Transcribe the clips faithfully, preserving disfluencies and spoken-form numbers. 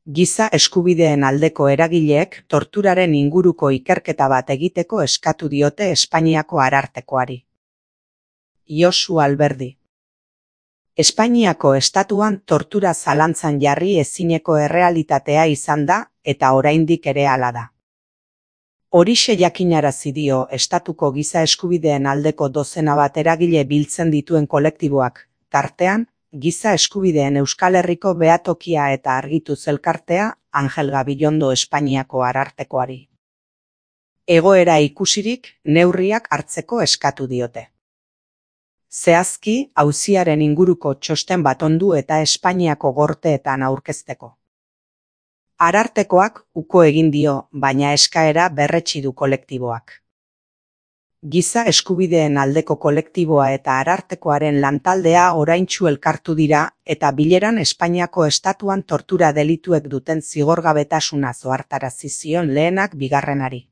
Giza eskubideen aldeko eragileek torturaren inguruko ikerketa bat egiteko eskatu diote Espainiako arartekoari. Josu Alberdi. Espainiako estatuan tortura zalantzan jarri ezineko errealitatea izan da eta oraindik ere hala da. Horixe jakinarazi dio estatuko giza eskubideen aldeko dozena bat eragile biltzen dituen kolektiboak, tartean, Giza eskubideen Euskal Herriko behatokia eta argituz elkartea Angel Gabilondo Espainiako arartekoari. Egoera ikusirik neurriak hartzeko eskatu diote. Zehazki, auziaren inguruko txosten bat ondu eta Espainiako gorteetan aurkezteko. Arartekoak uko egin dio, baina eskaera berretsi du kolektiboak. Giza eskubideen aldeko kolektiboa eta arartekoaren lantaldea oraintsu elkartu dira eta bileran Espainiako estatuan tortura delituek duten zigorgabetasuna ohartarazi zion lehenak bigarrenari.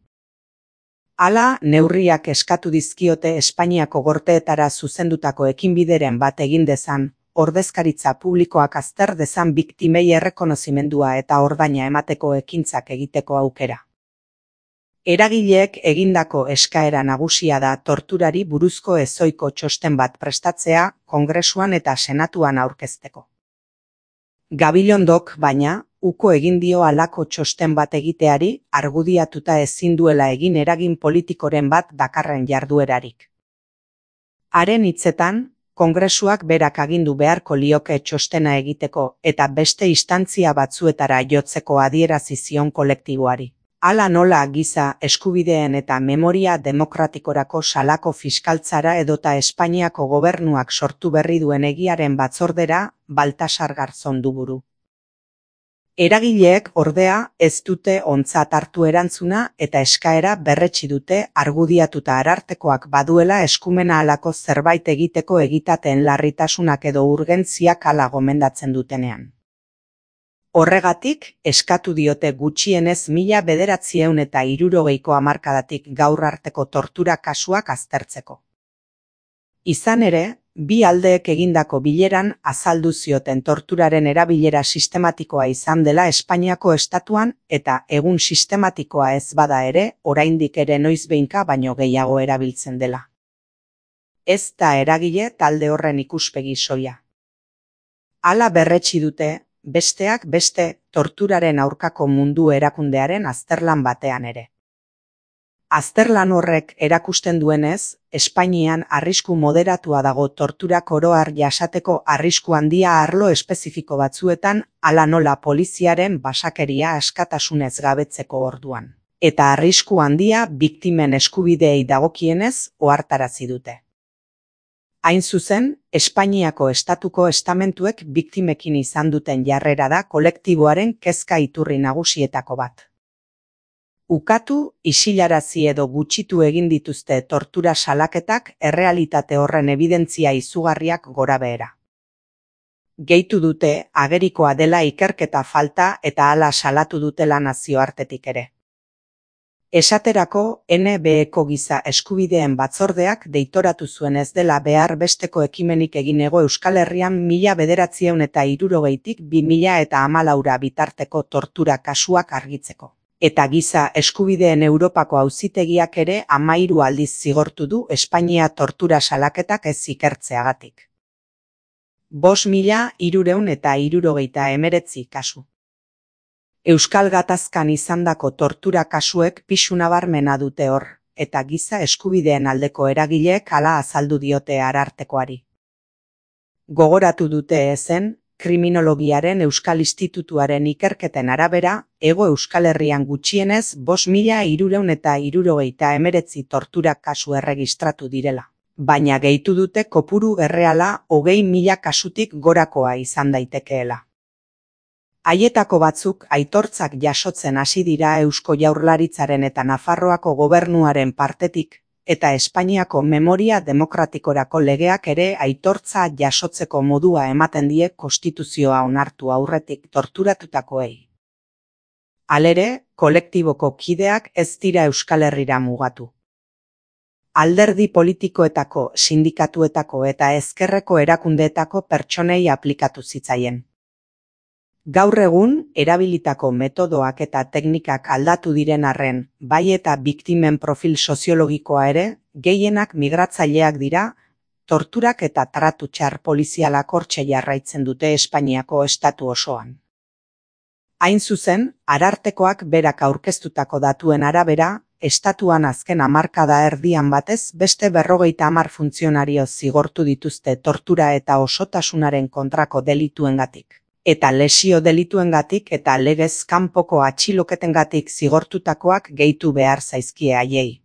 Hala, neurriak eskatu dizkiote Espainiako gorteetara zuzendutako ekinbideren bat egin dezan, ordezkaritza publikoak azter dezan biktimei errekonozimendua eta ordaina emateko ekintzak egiteko aukera. Eragileek egindako eskaera nagusia da torturari buruzko ezoiko txosten bat prestatzea Kongresuan eta Senatuan aurkezteko. Gabilondok, baina, uko egin dio halako txosten bat egiteari argudiatuta ezin duela egin eragin politikoren bat dakarren jarduerarik. Haren hitzetan, Kongresuak berak agindu beharko lioke txostena egiteko eta beste instantzia batzuetara jotzeko adierazi zion kolektiboari. Hala nola giza eskubideen eta memoria demokratikorako salako fiskaltzara edota Espainiako gobernuak sortu berri duen egiaren batzordera Baltasar Garzón du buru. Eragileek ordea ez dute ontzat hartu erantzuna eta eskaera berretsi dute argudiatuta arartekoak baduela eskumena halako zerbait egiteko egitateen larritasunak edo urgentziak hala gomendatzen dutenean. Horregatik, eskatu diote gutxienez mila bederatziehun eta hirurogeiko hamarkadatik gaur arteko tortura kasuak aztertzeko. Izan ere, bi aldeek egindako bileran azaldu zioten torturaren erabilera sistematikoa izan dela Espainiako estatuan eta egun sistematikoa ez bada ere, oraindik ere noizbehinka baino gehiago erabiltzen dela. Ez da eragile talde horren ikuspegi soila. Hala berretsi dute, besteak beste torturaren aurkako mundu erakundearen azterlan batean ere. Azterlan horrek erakusten duenez, Espainian arrisku moderatua dago torturak oro har jasateko arrisku handia arlo espezifiko batzuetan, hala nola poliziaren basakeria askatasunez gabetzeko orduan. Eta arrisku handia biktimen eskubideei dagokienez ohartarazi dute. Hain zuzen, Espainiako estatuko estamentuek biktimekin izan duten jarrera da kolektiboaren kezka iturri nagusietako bat. Ukatu, isilarazi edo gutxitu egin dituzte tortura salaketak errealitate horren ebidentzia izugarriak gorabehera. Gehitu dute agerikoa dela ikerketa falta eta hala salatu dutela nazioartetik ere. Esaterako, N B Eko giza eskubideen batzordeak deitoratu zuen ez dela behar besteko ekimenik egin Hego Euskal Herrian mila bederatziehun eta hirurogeitik bi mila eta hamalaura bitarteko tortura kasuak argitzeko. Eta giza eskubideen Europako auzitegiak ere hamahiru aldiz zigortu du Espainia tortura salaketak ez ikertzeagatik. Bost mila hirurehun eta hirurogeita hemeretzi kasu. Euskal Gatazkan izandako tortura kasuek pisu nabarmena dute hor, eta giza eskubideen aldeko eragileek hala azaldu diote arartekoari. Gogoratu dute ezen, Kriminologiaren Euskal Institutuaren ikerketen arabera, Hego Euskal Herrian gutxienez bost mila hirurehun eta hirurogeita hemeretzi tortura kasu erregistratu direla. Baina gehitu dute kopuru erreala hogei mila kasutik gorakoa izan daitekeela. Haietako batzuk aitortzak jasotzen hasi dira Eusko Jaurlaritzaren eta Nafarroako gobernuaren partetik, eta Espainiako memoria demokratikorako legeak ere aitortza jasotzeko modua ematen die konstituzioa onartu aurretik torturatutakoei. Halere, kolektiboko kideak ez dira Euskal Herrira mugatu. Alderdi politikoetako, sindikatuetako eta ezkerreko erakundeetako pertsonei aplikatu zitzaien. Gaur egun, erabilitako metodoak eta teknikak aldatu diren arren, bai eta biktimen profil soziologikoa ere, gehienak migratzaileak dira, torturak eta tratu txar polizialak hortxe jarraitzen dute Espainiako estatu osoan. Hain zuzen, Arartekoak berak aurkeztutako datuen arabera, estatuan azken hamarkada erdian batez beste berrogeita hamar funtzionario zigortu dituzte tortura eta osotasunaren kontrako delituengatik. Eta lesio delituengatik eta legez kanpoko atxiloketengatik zigortutakoak gehitu behar zaizkie haiei.